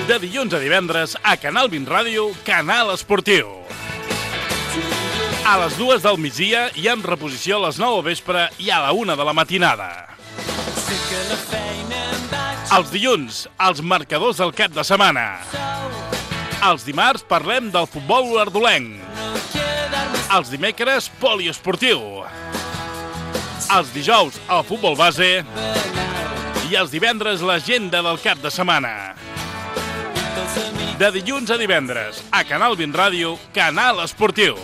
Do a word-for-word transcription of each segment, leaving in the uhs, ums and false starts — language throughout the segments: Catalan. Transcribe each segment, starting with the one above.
De dilluns a divendres, a Canal vint Ràdio, Canal Esportiu. A les dues del migdia i amb reposició a les nou al vespre i a la una de la matinada. Els dilluns, els marcadors del cap de setmana. Els dimarts parlem del futbol olordolenc. Els dimecres, poliesportiu. Els dijous, el futbol base. I els divendres, l'agenda del cap de setmana. De dilluns a divendres, a Canal vint Ràdio, Canal Esportiu.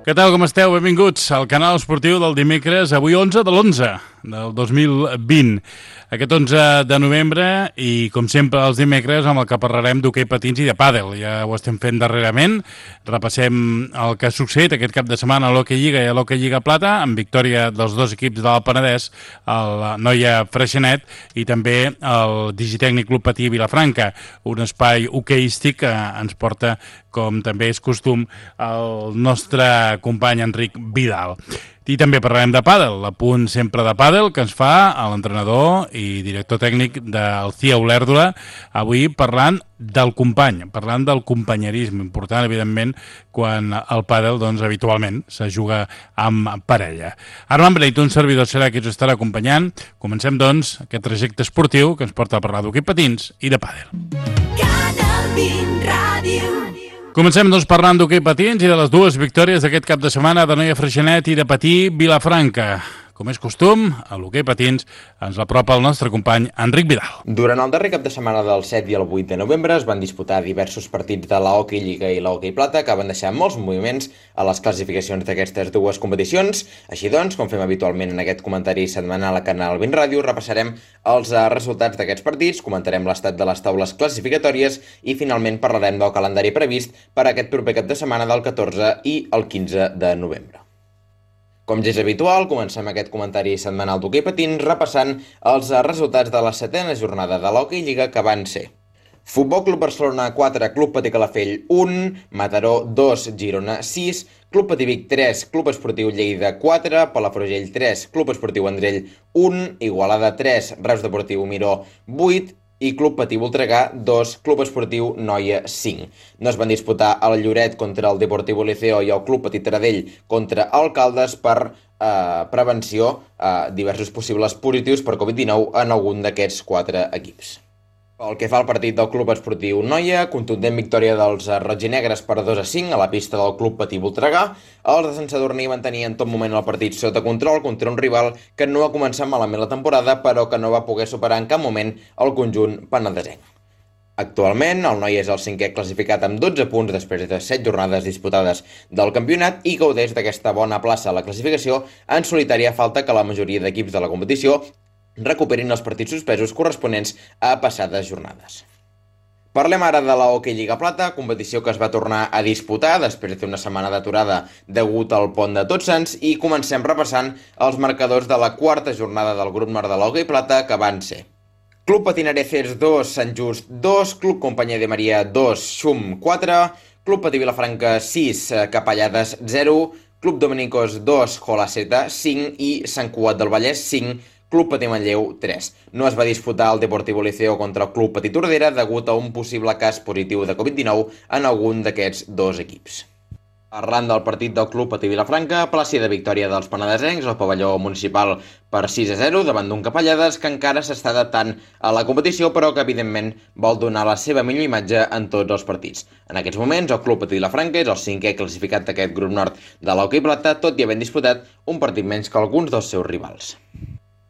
Què tal, com esteu? Benvinguts al Canal Esportiu del dimecres, avui onze de l'onze del dos mil vint. Aquest onze de novembre i, com sempre, els dimecres amb el que parlarem d'hoquei patins i de pàdel. Ja ho estem fent darrerament. Repassem el que ha succeït aquest cap de setmana a l'Hockey Lliga i a l'Hockey Lliga Plata, amb victòria dels dos equips de l'Alt Penedès, el Noia Freixenet i també el Digitècnic Club Patí Vilafranca, un espai hoqueístic que ens porta, com també és costum, el nostre company Enric Vidal. I també parlarem de pàdel, l'apunt sempre de pàdel que ens fa l'entrenador i director tècnic del C I A Olèrdola, avui parlant del company, parlant del companyerisme, important, evidentment, quan el pàdel, doncs, habitualment se juga amb parella. Armand Breit, un servidor, serà qui us estarà acompanyant. Comencem, doncs, aquest trajecte esportiu que ens porta a parlar d'hoquei patins i de pàdel. Canal vint Ràdio. Comencem, doncs, parlant d'hoquei patins i de les dues victòries d'aquest cap de setmana de Noia Freixenet i de Patí Vilafranca. Com és costum, a l'hoquei patins ens apropa el nostre company Enric Vidal. Durant el darrer cap de setmana del set i el vuit de novembre es van disputar diversos partits de la Hockey Lliga i la Hockey Plata que van deixar molts moviments a les classificacions d'aquestes dues competicions. Així doncs, com fem habitualment en aquest comentari setmanal a Canal vint Ràdio, repassarem els resultats d'aquests partits, comentarem l'estat de les taules classificatòries i finalment parlarem del calendari previst per a aquest proper cap de setmana del catorze i el quinze de novembre. Com ja és habitual, comencem aquest comentari setmanal d'hoquei patins repassant els resultats de la setena jornada de l'Hockey Lliga que van ser: Futbol Club Barcelona quatre, Club Patí Calafell un, Mataró dos, Girona sis, Club Patí Vic tres, Club Esportiu Lleida quatre, Palafrugell tres, Club Esportiu Vendrell un, Igualada tres, Reus Deportiu Miró vuit i Club Patí Voltregà dos, Club Esportiu Noia cinc. No es van disputar el Lloret contra el Deportivo Liceo i el Club Patí Taradell contra Alcaldes per eh, prevenció a eh, diversos possibles positius per covid dinou en algun d'aquests quatre equips. Pel que fa al partit del Club Esportiu Noia, contundent victòria dels roginegres per dos a cinc a la pista del Club Patí Voltregà. Els de Sant Sadurní mantenien en tot moment el partit sota control contra un rival que no ha començat malament la temporada, però que no va poder superar en cap moment el conjunt penedesenc. Actualment, el Noia és el cinquè classificat amb dotze punts després de set jornades disputades del campionat i gaudeix d'aquesta bona plaça a la classificació en solitària falta que la majoria d'equips de la competició recuperin els partits suspesos corresponents a passades jornades. Parlem ara de la Hockey Lliga Plata, competició que es va tornar a disputar després d'una setmana d'aturada degut al pont de Tots Sants, i comencem repassant els marcadors de la quarta jornada del grup nord de la Hockey Plata, que van ser: Club Patinareces dos, Sant Just dos, Club Companyia de Maria dos, Xum quatre, Club Patí Vilafranca sis, Capellades zero, Club Dominicos dos, Jolaceta cinc i Sant Cugat del Vallès cinc, Club Patí Manlleu tres. No es va disputar el Deportivo Liceo contra el Club Patí Tordera degut a un possible cas positiu de covid dinou en algun d'aquests dos equips. Parlant del partit del Club Patí Vilafranca, plàcida victòria dels penedesencs al pavelló municipal per sis a zero davant d'un Capellades que encara s'està adaptant a la competició, però que evidentment vol donar la seva millor imatge en tots els partits. En aquests moments, el Club Patí Vilafranca és el cinquè classificat d'aquest grup nord de l'Hockey Plata, tot i havent disputat un partit menys que alguns dels seus rivals.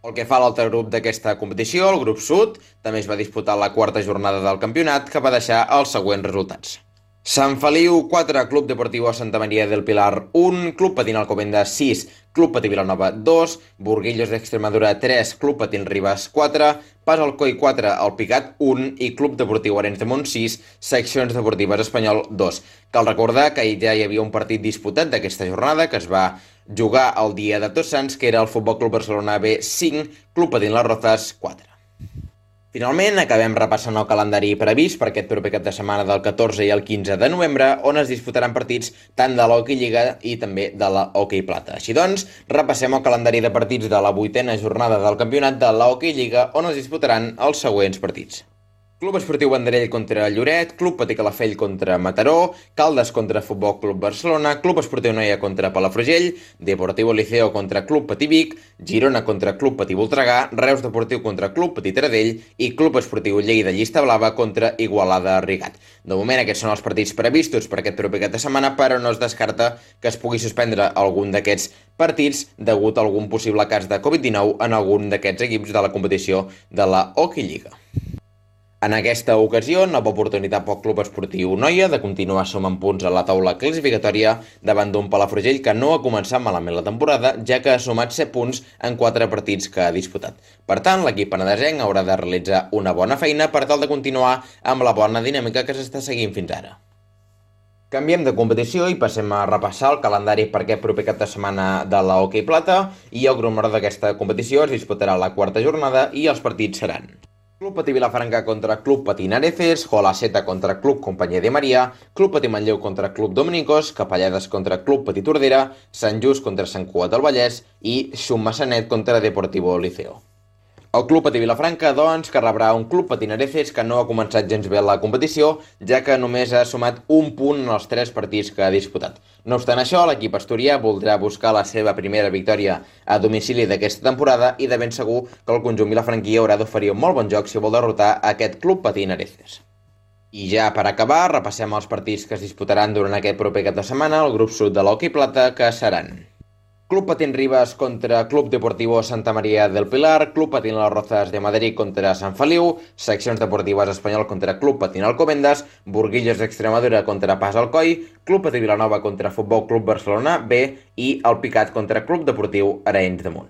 Pel que fa a l'altre grup d'aquesta competició, el grup sud, també es va disputar la quarta jornada del campionat, que va deixar els següents resultats. Sant Feliu quatre, Club Deportiu Santa Maria del Pilar un, Club Patín Alcobendas sis, Club Patí Vilanova dos, Burguillos d'Extremadura tres, Club Patín Ribas quatre, Pas Alcoi quatre, El Picat un i Club Deportiu Arenys de Munt sis, Seccions Deportives Espanyol dos. Cal recordar que ja hi havia un partit disputat d'aquesta jornada que es va jugar el dia de Tots Sants, que era el Futbol Club Barcelona B cinc, Club Patín Las Rozas quatre. Finalment, acabem repassant el calendari previst per aquest proper cap de setmana del catorze i el quinze de novembre, on es disputaran partits tant de l'Hockey Lliga i també de la Hockey Plata. Així doncs, repassem el calendari de partits de la vuitena jornada del campionat de la Hockey Lliga, on es disputaran els següents partits. Club Esportiu Vendrell contra Lloret, Club Patí Calafell contra Mataró, Caldes contra Futbol Club Barcelona, Club Esportiu Noia contra Palafrugell, Deportivo Liceo contra Club Patí Vic, Girona contra Club Patí Voltregà, Reus Deportiu contra Club Patí Taradell i Club Esportiu Lleida Llista Blava contra Igualada Rigat. De moment aquests són els partits previstos per aquest proper cap de setmana, però no es descarta que es pugui suspendre algun d'aquests partits degut a algun possible cas de covid dinou en algun d'aquests equips de la competició de la Hockey Lliga. En aquesta ocasió, nova oportunitat pel Club Esportiu Noia de continuar sumant punts a la taula classificatòria davant d'un Palafrugell que no ha començat malament la temporada, ja que ha sumat set punts en quatre partits que ha disputat. Per tant, l'equip penedesenc haurà de realitzar una bona feina per tal de continuar amb la bona dinàmica que s'està seguint fins ara. Canviem de competició i passem a repassar el calendari per aquest proper cap de setmana de la Hockey Plata i el grup menor d'aquesta competició es disputarà la quarta jornada i els partits seran Club Patí Vilafranca contra Club Patí Nareces, Jolaseta contra Club Companyia de Maria, Club Patí Manlleu contra Club Dominicos, Capellades contra Club Patí Tordera, Sant Just contra Sant Cugat del Vallès i Xum Massanet contra Deportivo Liceo. El Club Patí Vilafranca, doncs, que rebrà un Club Patí Nareces que no ha començat gens bé la competició, ja que només ha sumat un punt en els tres partits que ha disputat. No obstant això, l'equip asturià voldrà buscar la seva primera victòria a domicili d'aquesta temporada i de ben segur que el conjunt vilafranquí haurà d'oferir un molt bon joc si vol derrotar aquest Club Patí Nareces. I ja per acabar, repassem els partits que es disputaran durant aquest proper cap de setmana al grup sud de l'Hockey Plata, que seran Club Patín Rivas contra Club Deportivo Santa María del Pilar, Club Patín Las Rozas de Madrid contra Sant Feliu, Seccions Deportives Espanyol contra Club Patín Alcobendas, Burguillos d'Extremadura contra Pas Alcoi, Club Patí Vilanova contra Futbol Club Barcelona B i el Picat contra Club Deportiu Arenys de Munt.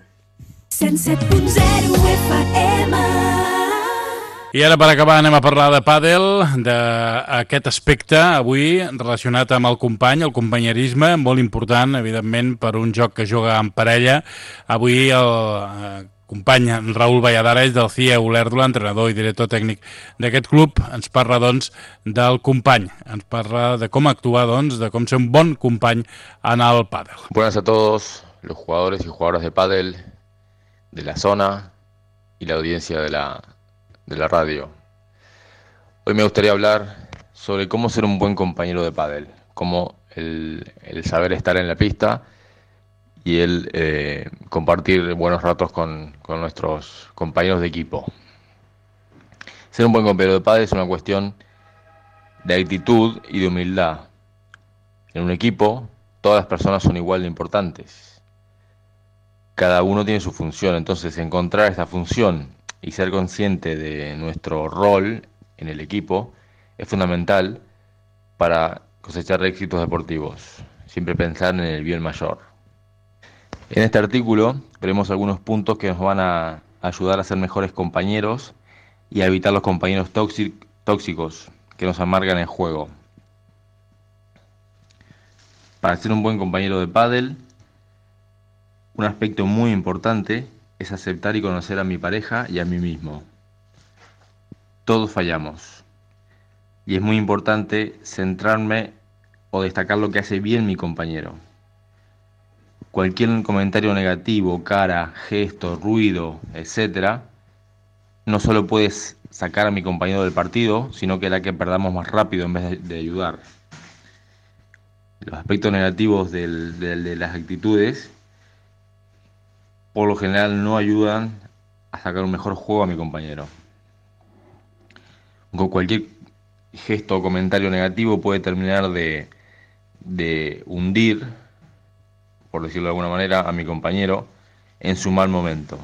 cent set punt zero F M. I ara per acabar anem a parlar de pàdel, d'aquest aspecte avui relacionat amb el company, el companyerisme, molt important, evidentment, per un joc que juga en parella. Avui el eh, company Raül Valladares del C I E Olèrdula, entrenador i director tècnic d'aquest club, ens parla, doncs, del company. Ens parla de com actuar, doncs, de com ser un bon company en el pàdel. Buenas a todos los jugadores y jugadoras de pádel de la zona y la audiencia de la de la radio. Hoy me gustaría hablar sobre cómo ser un buen compañero de pádel, cómo el, el saber estar en la pista y el eh, compartir buenos ratos con, con nuestros compañeros de equipo. Ser un buen compañero de pádel es una cuestión de actitud y de humildad. En un equipo, todas las personas son igual de importantes. Cada uno tiene su función, entonces encontrar esta función y ser consciente de nuestro rol en el equipo es fundamental para cosechar éxitos deportivos. Siempre pensar en el bien mayor. En este artículo veremos algunos puntos que nos van a ayudar a ser mejores compañeros y a evitar los compañeros tóxicos que nos amargan el juego. Para ser un buen compañero de pádel, un aspecto muy importante es aceptar y conocer a mi pareja y a mí mismo. Todos fallamos. Y es muy importante centrarme o destacar lo que hace bien mi compañero. Cualquier comentario negativo, cara, gesto, ruido, etcétera, no solo puedes sacar a mi compañero del partido, sino que hará que perdamos más rápido en vez de, de ayudar. Los aspectos negativos del, del, de las actitudes por lo general no ayudan a sacar un mejor juego a mi compañero. Con cualquier gesto o comentario negativo puede terminar de, de hundir, por decirlo de alguna manera, a mi compañero en su mal momento.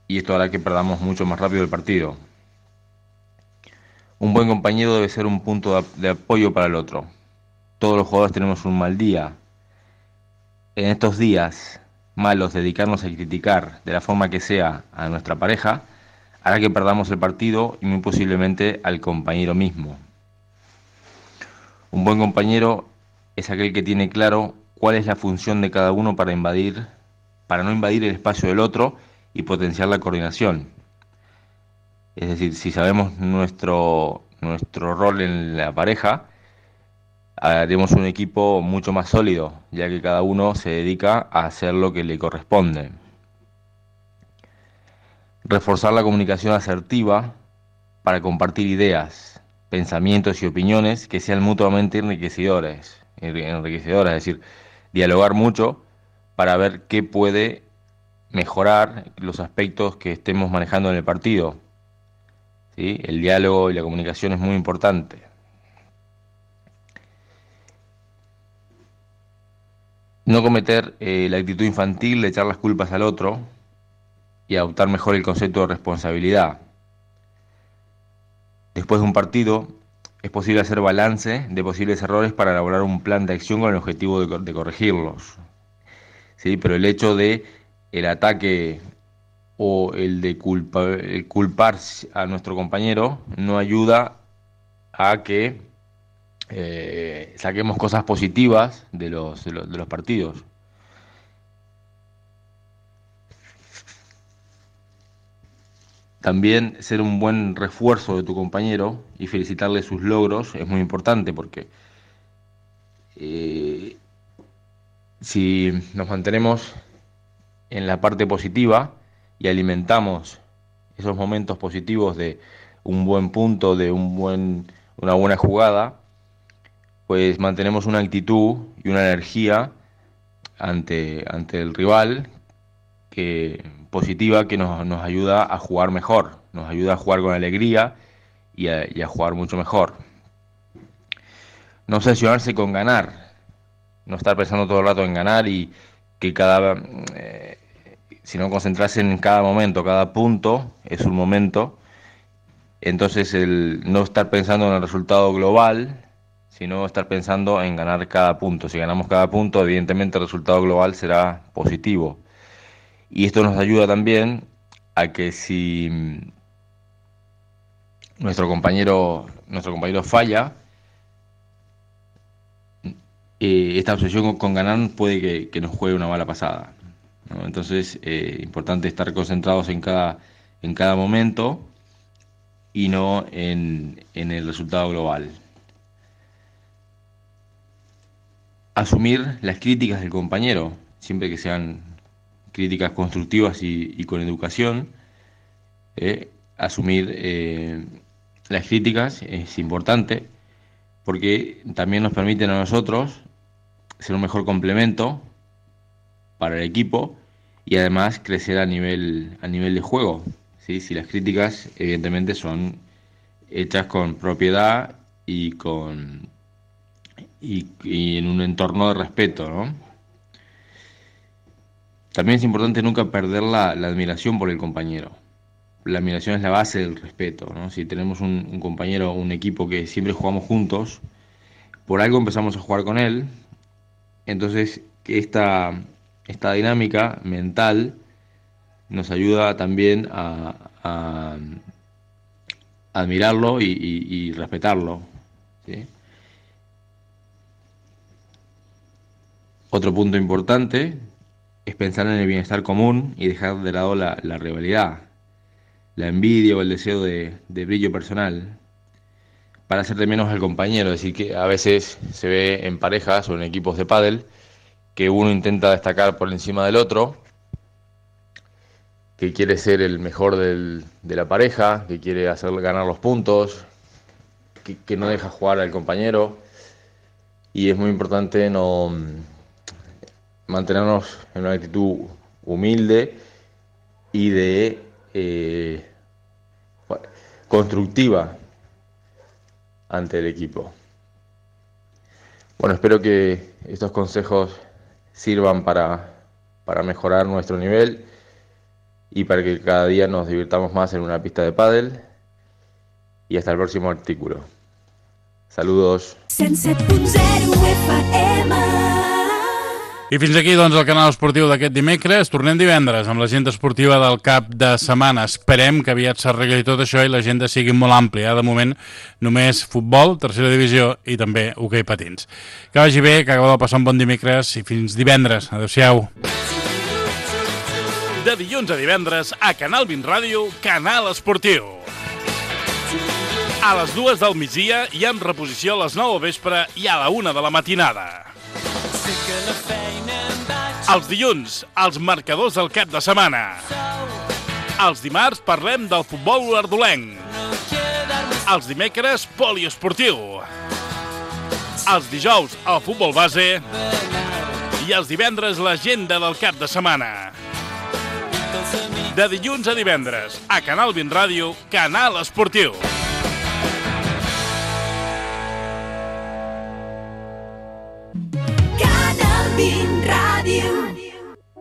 Y esto hará que perdamos mucho más rápido el partido. Un buen compañero debe ser un punto de, de apoyo para el otro. Todos los jugadores tenemos un mal día. En estos días malos, dedicarnos a criticar de la forma que sea a nuestra pareja hará que perdamos el partido y muy posiblemente al compañero mismo. Un buen compañero es aquel que tiene claro cuál es la función de cada uno para invadir, para no invadir el espacio del otro y potenciar la coordinación. Es decir, si sabemos nuestro, nuestro rol en la pareja, haremos un equipo mucho más sólido, ya que cada uno se dedica a hacer lo que le corresponde. Reforzar la comunicación asertiva para compartir ideas, pensamientos y opiniones que sean mutuamente enriquecedores, enriquecedoras, es decir, dialogar mucho para ver qué puede mejorar los aspectos que estemos manejando en el partido. ¿Sí? El diálogo y la comunicación es muy importante. No cometer eh, la actitud infantil de echar las culpas al otro y adoptar mejor el concepto de responsabilidad. Después de un partido, es posible hacer balance de posibles errores para elaborar un plan de acción con el objetivo de, de corregirlos. ¿Sí? Pero el hecho de el ataque o el de culpa, el culpar a nuestro compañero no ayuda a que eh, saquemos cosas positivas de los, de los, de los partidos. También ser un buen refuerzo de tu compañero y felicitarle sus logros es muy importante, porque eh, si nos mantenemos en la parte positiva y alimentamos esos momentos positivos de un buen punto, de un buen, una buena jugada, pues mantenemos una actitud y una energía ante, ante el rival que, positiva, que nos, nos ayuda a jugar mejor, nos ayuda a jugar con alegría y a, y a jugar mucho mejor. No obsesionarse con ganar, no estar pensando todo el rato en ganar y que cada... Eh, sino concentrarse en cada momento, cada punto es un momento. Entonces el no estar pensando en el resultado global, sino estar pensando en ganar cada punto. Si ganamos cada punto, evidentemente el resultado global será positivo. Y esto nos ayuda también a que si nuestro compañero, nuestro compañero falla, eh, esta obsesión con, con ganar puede que, que nos juegue una mala pasada, ¿no? Entonces, eh, importante estar concentrados en cada, en cada momento y no en, en el resultado global. Asumir las críticas del compañero, siempre que sean críticas constructivas y, y con educación. Eh, asumir eh, las críticas es importante, porque también nos permiten a nosotros ser un mejor complemento para el equipo y además crecer a nivel, a nivel de juego, ¿sí? Si las críticas evidentemente son hechas con propiedad y, con, y, y en un entorno de respeto, ¿no? También es importante nunca perder la, la admiración por el compañero. La admiración es la base del respeto, ¿no? Si tenemos un, un compañero, un equipo que siempre jugamos juntos, por algo empezamos a jugar con él, entonces esta, esta dinámica mental nos ayuda también a, a, a admirarlo y, y, y respetarlo, ¿sí? Otro punto importante es pensar en el bienestar común y dejar de lado la, la rivalidad, la envidia o el deseo de, de brillo personal, para hacer de menos al compañero. Es decir, que a veces se ve en parejas o en equipos de pádel que uno intenta destacar por encima del otro, que quiere ser el mejor del, de la pareja, que quiere hacer ganar los puntos, que, que no deja jugar al compañero, y es muy importante no mantenernos en una actitud humilde y de eh, constructiva ante el equipo. Bueno, espero que estos consejos sirvan para, para mejorar nuestro nivel y para que cada día nos divirtamos más en una pista de pádel. Y hasta el próximo artículo. Saludos. cent set punt zero F M. I fins aquí, doncs, el canal esportiu d'aquest dimecres. Tornem divendres amb l'agenda esportiva del cap de setmana. Esperem que aviat s'arregli tot això i l'agenda sigui molt àmplia. De moment, només futbol, tercera divisió i també hoquei patins. Que vagi bé, que acabeu de passar un bon dimecres i fins divendres. Adéu-siau. De dilluns a divendres, a Canal vint Ràdio, Canal Esportiu. A les dues del migdia i amb reposició a les nou al vespre i a la una de la matinada. Els dilluns, els marcadors del cap de setmana. Els dimarts parlem del futbol olordolenc. Els dimecres, poliesportiu. Els dijous, el futbol base. I els divendres, l'agenda del cap de setmana. De dilluns a divendres, a Canal vint Ràdio, Canal Esportiu. Canal vint